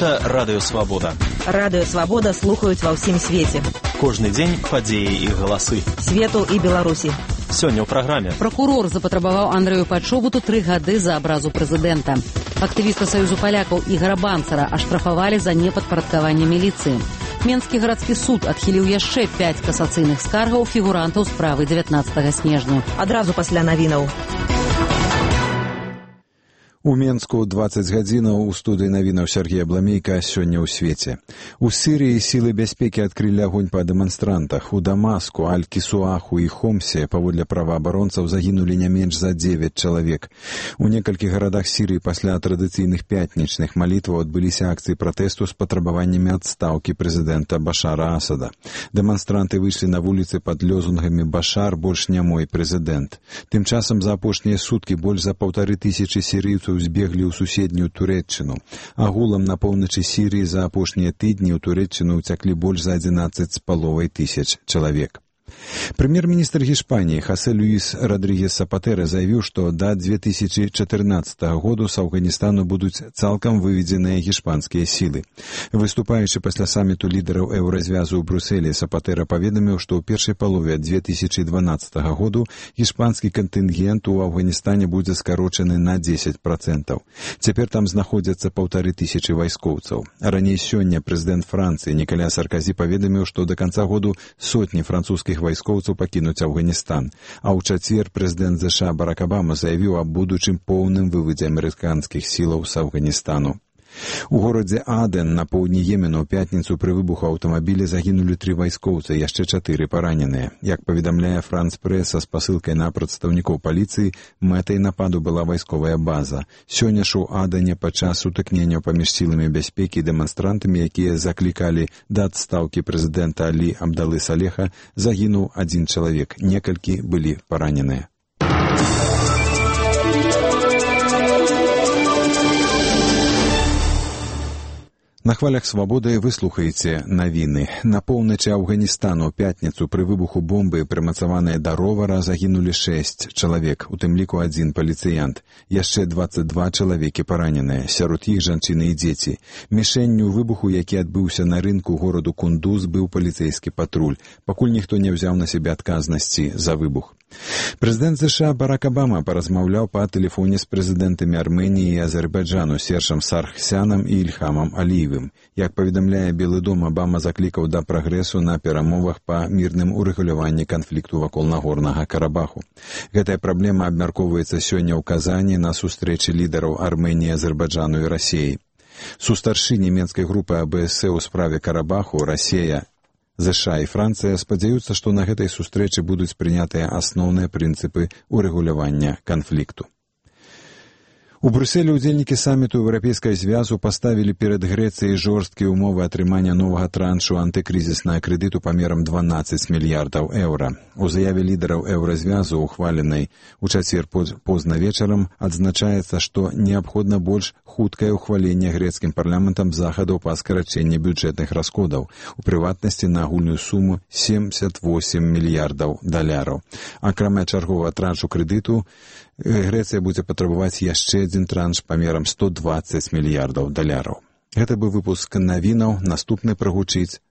Гэта Радыё Свабода. Радыё Свабода слухаюць ва ўсім свеце. Кожны дзень падзеі і галасы. Свету і Беларусі. Сёння ў праграме. Пракурор запатрабаваў Андрэю Пачобуту 3 гады за абразу прэзідэнта. Актывіста Саюзу палякаў Ігара Банцара аштрафавалі за непадпарадкаванне міліцыі. Менскі гарадскі суд адхіліў яшчэ 5 касацыйных скаргаў фігурантаў справы 19 снежня. Адразу пасля навінаў. У Менску 20 гадзінаў у студыі навінаў Сергея Бламейка сёння ў свеце. У Сірыі сілы бяспекі адкрылі агонь па дэманстрантах. У Дамаску, Аль-Кісуаху і Хомсе паводле праваабаронцаў загінулі не менш за 9 чалавек. У некалькіх гарадах Сірыі пасля традыцыйных пятнічных малітваў адбыліся акцыі пратэсту з патрабаваннямі адстаўкі прэзідэнта Башара Асада. Дэманстранты выйшлі на вуліцы пад лёзунгамі «Башар, больш не мой прэзідэнт». Тым часам за апошнія суткі больш за 1500 сірыйцаў збеглі ў суседнюю Турэччыну. Агулам на поўначы Сірыі за апошнія тыдні ў Турэччыну ўцяклі больш за 11,5 тысяч чалавек. Прэм'ер-міністр Гішпаніі Хосе Люіс Родригес Сапатэра заявіў, што да 2014 году з Афганістану будуць цалкам выведзеныя гішпанскія сілы. Выступаючы пасля саміту лідараў еўразвязу ў Брюсселі, Сапатэра паведаміў, што ў першай палове 2012 году гішпанскі кантынгент у Афганістане будзе скарочаны на 10%. Цяпер там знаходзяцца 1500 вайскоўцаў. Раней сёння прэзідэнт Францыі Ніколя Саркозі паведаміў, што да канца году сотні французскіх вайскоўцаў пакінуць Афганістан, а ў чацвер прэзідэнт ЗША Барак Абама заявіў аб будучым поўным вывадзе амерыканскіх сілаў з Афганістану. У горадзе Аден на поўдні Йемену ў пятніцу пры выбуху аўтамабіля загінулі 3 вайскоўцы, яшчэ 4 параненыя. Як паведамляе Франц Прэс са спасылкай на прадстаўнікоў паліцыі, мэтай нападу была вайсковая база. Сёння ж у Адане падчас сутыкнення паміж сіламі бяспекі і дэманстрантамі, якія заклікалі да адстаўкі прэзідэнта Алі Абдалы Салеха, загінуў 1 чалавек, некалькі былі параненыя. На хвалях Свабоды вы слухаеце навіны. На поўначы Афганістану ў пятніцу пры выбуху бомбы, прымацаваныя да ровара, загінулі 6 чалавек, у тым ліку 1 паліцыянт. Яшчэ 22 чалавекі параненыя, сярод іх жанчыны і дзеці. Мішэнню выбуху, які адбыўся на рынку гораду Кундуз, быў паліцэйскі патруль, пакуль ніхто не ўзяў на сябе адказнасці за выбух. Прэзідэнт ЗША Барак Абама паразмаўляў па тэлефоне з прэзідэнтамі Арменіі і Азербайджану Сержам Саргсянам і Ільхамам Аліевым. Як паведамляе Белы дом, Абама заклікаў да прагрэсу на перамовах па мірным урэгуляванні канфлікту вакол Нагорнага Карабаху. Гэтая праблема абмяркоўваецца сёння ў Казані на сустрэчы лідараў Арменіі, Азербайджану і Расіі. Сустаршы нямецкай групы АБС у справе Карабаху, Расія, ЗША і Францыя спадзяюцца, што на гэтай сустрэчы будуць прынятыя асноўныя прынцыпы урэгулявання канфлікту. У Брюсселі ўдзельнікі саміту Еўрапейскага звязу паставілі перад Грэцыяй жорсткія ўмовы атрымання новага траншу антыкрызіснага крэдыту памерам 12 мільярдаў еўра. У заяве лідараў еўразвязу, ухваленай у чацвер позна вечарам, адзначаецца, што неабходна больш хуткае ўхваленне грэцкім парламентам захадаў па скарачэнні бюджэтных расходаў, у прыватнасці на агульную суму 78 мільярдаў даляраў. Акрамя чарговага траншу крэдыту, Грэцыя будзе патрабаваць яшчэ 1 транш памерам 120 мільярдаў даляраў. Гэта быў выпуск навінаў, наступны прагучыць